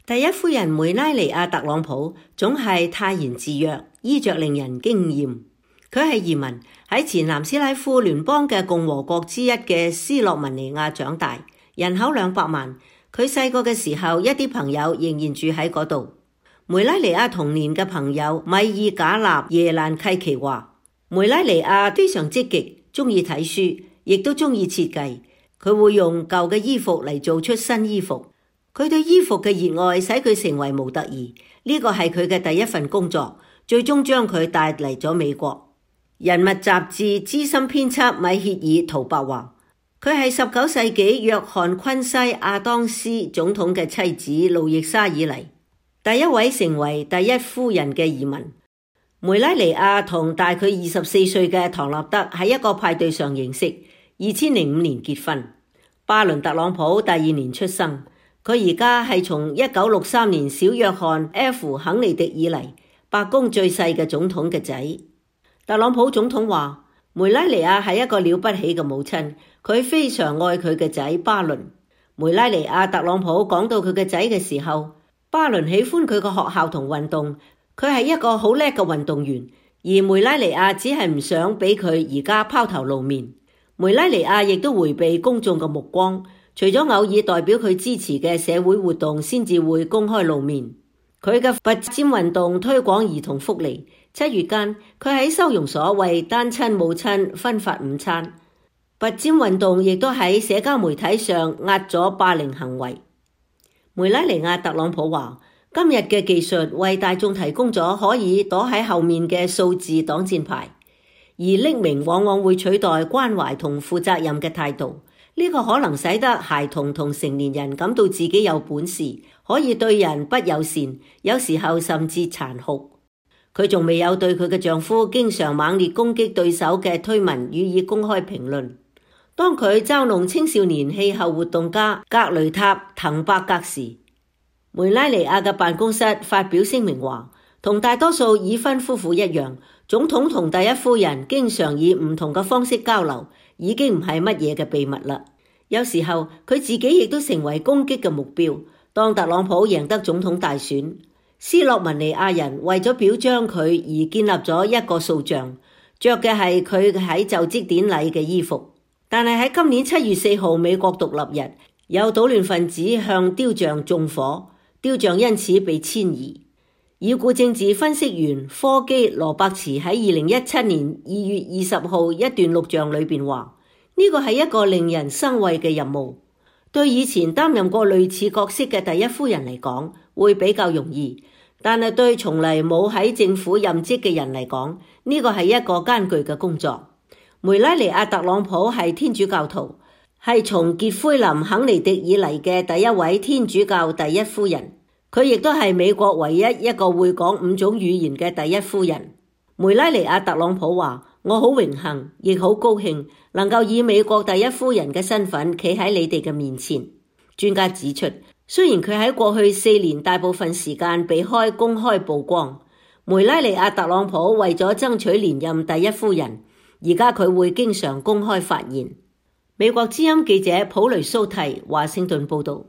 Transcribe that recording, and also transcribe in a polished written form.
第一夫人梅拉尼亞特朗普總係泰然自若，衣着令人驚豔。佢係移民喺前南斯拉夫聯邦嘅共和國之一嘅斯洛文尼亞長大，人口200萬。佢細個嘅時候，一啲朋友仍然住喺嗰度。梅拉尼亞童年嘅朋友米爾賈納耶蘭契奇話，梅拉尼亞非常積極，中意睇書，亦都中意設計。佢會用舊嘅衣服嚟做出新衣服。佢對衣服嘅熱愛使佢成為模特兒，呢個係佢嘅第一份工作，最終將佢帶嚟咗美國。人物雜誌資深編輯米歇爾·圖伯話，佢係19世紀約翰昆西亞當斯總統嘅妻子路易莎以嚟第一位成為第一夫人嘅移民。梅拉尼亞同大佢24歲嘅唐納德喺一個派對上認識，2005年結婚。巴倫特朗普第2年出生。佢而家係從1963年小約翰 F 肯尼迪以嚟白宮最細嘅總統嘅仔。特朗普總統話，梅拉尼亞係一個了不起嘅母親，佢非常愛佢嘅仔巴倫。梅拉尼亞特朗普講到佢嘅仔嘅時候，巴倫喜歡佢個學校同運動，佢係一個好叻嘅運動員，而梅拉尼亞只係唔想俾佢而家拋頭露面。梅拉尼亞亦都迴避公眾嘅目光，除咗偶爾代表佢支持嘅社會活動先至會公開露面。佢嘅拔尖運動推廣兒童福利。7月間，佢喺收容所為單親母親分發午餐。拔尖運動亦都喺社交媒體上壓咗霸凌行為。梅拉尼亞特朗普話，今日嘅技術為大眾提供咗可以躲喺後面嘅數字擋箭牌，而匿名往往會取代關懷同負責任嘅態度。呢個可能使得孩童同成年人感到自己有本事，可以對人不友善，有時候甚至殘酷。佢仲未有對佢嘅丈夫經常猛烈攻擊對手嘅推文予以公開評論。當佢嘲弄青少年氣候活動家格雷塔·滕伯格時，梅拉尼亞嘅辦公室發表聲明話，同大多數已婚夫婦一樣，總統同第一夫人經常以唔同嘅方式交流，已經唔係乜嘢嘅秘密啦。有時候佢自己亦都成為攻擊嘅目標。當特朗普贏得總統大選，斯洛文尼亞人為咗表彰佢而建立咗一個塑像，着嘅係佢喺就職典禮嘅衣服。但係喺今年7月4號美國獨立日，有搗亂分子向雕像縱火，雕像因此被遷移。已故政治分析員科基羅伯茨喺2017年2月20號一段錄像裏邊話，呢個係一個令人生畏嘅任務。對以前擔任過類似角色嘅第一夫人嚟講，會比較容易，但係對從嚟冇喺政府任職嘅人嚟講，呢個係一個艱巨嘅工作。梅拉尼亞特朗普係天主教徒，係從傑奎琳肯尼迪以嚟嘅第一位天主教第一夫人。佢亦都係美國唯一一個會講5種語言嘅第一夫人。梅拉尼亞特朗普話，我好榮幸，亦好高興能夠以美國第一夫人嘅身份企喺你哋嘅面前。專家指出，雖然佢喺過去4年大部分時間避開公開曝光，梅拉尼亞特朗普為咗爭取連任第一夫人，而家佢會經常公開發言。美國之音記者普雷蘇蒂華盛頓報道。